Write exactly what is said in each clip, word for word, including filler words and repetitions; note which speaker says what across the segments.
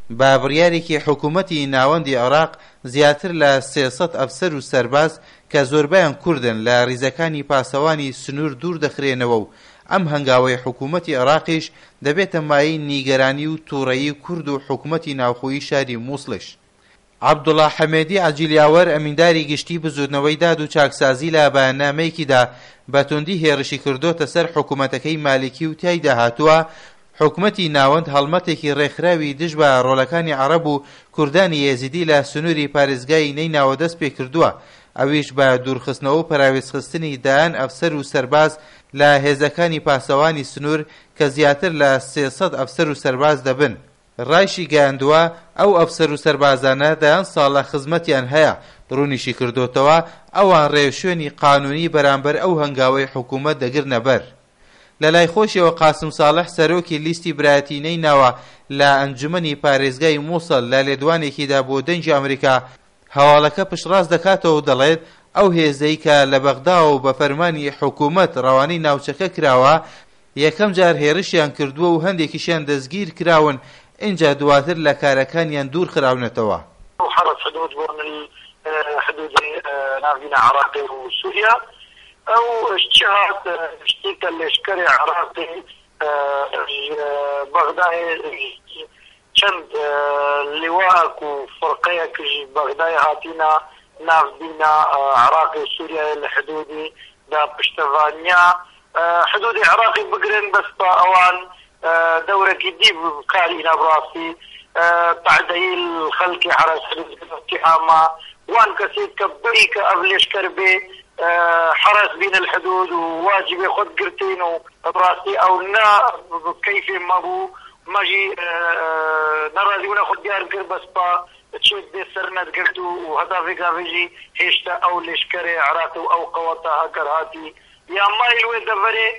Speaker 1: بە بڕیارێکی حکوومەتی ناوەندی عێراق زیاتر لە سێ سەد ئەفسەر و سەرباز کە زۆربەیان کوردن لە ریزەکانی پاسەوانی سنوور دوور دەخرێنەوە و ئەم هەنگاوەی حکوومەتی عێراقیش دەبێتە مایەی نیگەرانی و تووڕەیی کورد و حکوومەتی ناوخۆیی شاری مووسڵیش. عەبدوڵا حەمێدی عەجیل یاوەر ئەمینداری گشتی بزوتنەوەی داد و چاکسازی لە بەیاننامەیەکیدا بە توندی هێڕشی کردۆتە سەر حکومەتەکەی مالیکی و تیایدا هاتووە حکومەتی ناوەند هەڵمەتێکی ڕێکخراوی دژ بە ڕۆڵەکانی عەڕەب و کوردانی ئێزیدی لە سنووری پارێزگای نەیناوە دەست پێکردووە ئەویش بە دوورخستنەوە و پەراوێزخستنی دەیان ئەفسەر و سەرباز لە هێزەکانی پاسەوانی سنوور کە زیاتر لە سێ سەد ئەفسەر و سەرباز دەبن. ڕایشیگەیاندووە، ئەو ئەفسەر و سەربازانە دەیان ساڵە خزمەتیان هەیە، ڕوونیشیکردۆتەوە، ئەوان ڕێوشوێنی قانونی بەرامبەر ئەو هەنگاوەی حکومەت دەگرنەبەر. لەلای خۆشیەوە قاسم ساڵح سەرۆکی لیستی برایەتی نەیناوە لە ئەنجومەنی پارێزگای موسڵ لە لێدوانێکیدا بۆ دەنگی ئەمریکا هەواڵەکە پشتڕاست دەکاتەوە و دەڵێت ئەو هێزەی کە لە بەغداوە و بە فەرمانی حکومەت ڕەوانەی ناوچەکە کراوە یەکەم جار هێرشیان کردووە و هەندێکیشیان دەستگیر کراون ئینجا دواتر لە کارەکانیان دوور خراونەتەوە.
Speaker 2: حرس حدود بۆن حدودی ناڤینا عراقی و سوریا ئەو چ هات شتێکە لەشکری عراقی بەغدای چەند لواء و فرقەیەک بەغدای هاتینا ناڤینا عراقی و سوریا لە حدودی دا پشتەڤانیا حدودی عراقی بگرن بەس با ئەوان دەورەکی دی کاری نابڕاستی تعدەیل خەڵکی حرس حدود اتهامە وان کەسێک کە بەری کە ئەv لەشکر بێ حرس بین الحدود وواجب خود گرتین و بڕاستی ئەو نا کەیفێ مەبوو مەژی نەڕازیبوونە خود دیار کرد بەس با چێت بێ سەر نەدگرت و هەتا ڤێگاڤێژی هێشتا ئەو لەشکرێ عراق و ئەو قەوەتە هەکەر هاتی یا مایل وێ دەڤەرێ.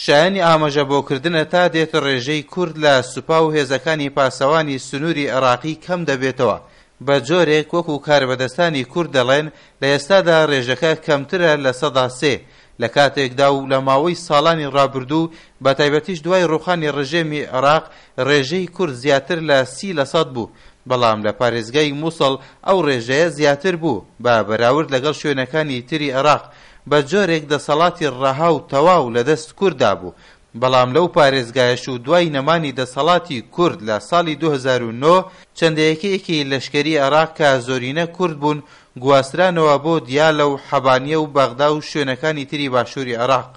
Speaker 1: شایانی ئاماژە بۆکردنە تا دێت ڕێژەی کورد لە سوپا و هێزەکانی پاسەوانی سنووری عێراقی کەم دەبێتەوە، بە جۆرێک وەکو کاربەدەستانی کورد دەڵێن لە ئێستادا ڕێژەکە کەمترە لە سەدا سێ، لە کاتێکدا و لە ماوەی ساڵانی ڕابردوو بە تایبەتیش دوای ڕوخانی ڕژێمی عێراق ڕێژەی کورد زیاتر لە سی لە سەد بوو، بەڵام لە پارێزگای موسڵ ئەو ڕێژەیە زیاتر بوو بە بەراورد لەگەڵ شوێنەکانی تری عێراق، بە جۆرێک دەسەڵاتی ڕەها و تەواو لە دەست کورددا بوو، بەڵام لەو پارێزگایەش و دوای نەمانی دەسەڵاتی کورد لە ساڵی دوو هەزار و نۆ چەند یەکەیەکی لەشکری عێراق کە زۆرینە کورد بوون گواسترانەوە بۆ دیالە و حەبانیە و بەغدا و شوێنەکانی تری باشووری عێراق.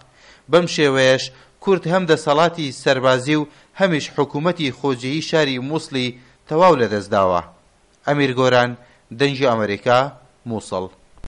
Speaker 1: بەم شێوەیەش کورد هەم دەسەڵاتی سەربازی و هەمیش حکوومەتی خۆجێیی شاری مووسڵی تەواو لەدەستداوە. ئەمیر گۆران، دەنگی ئەمەریکا، مووسڵ.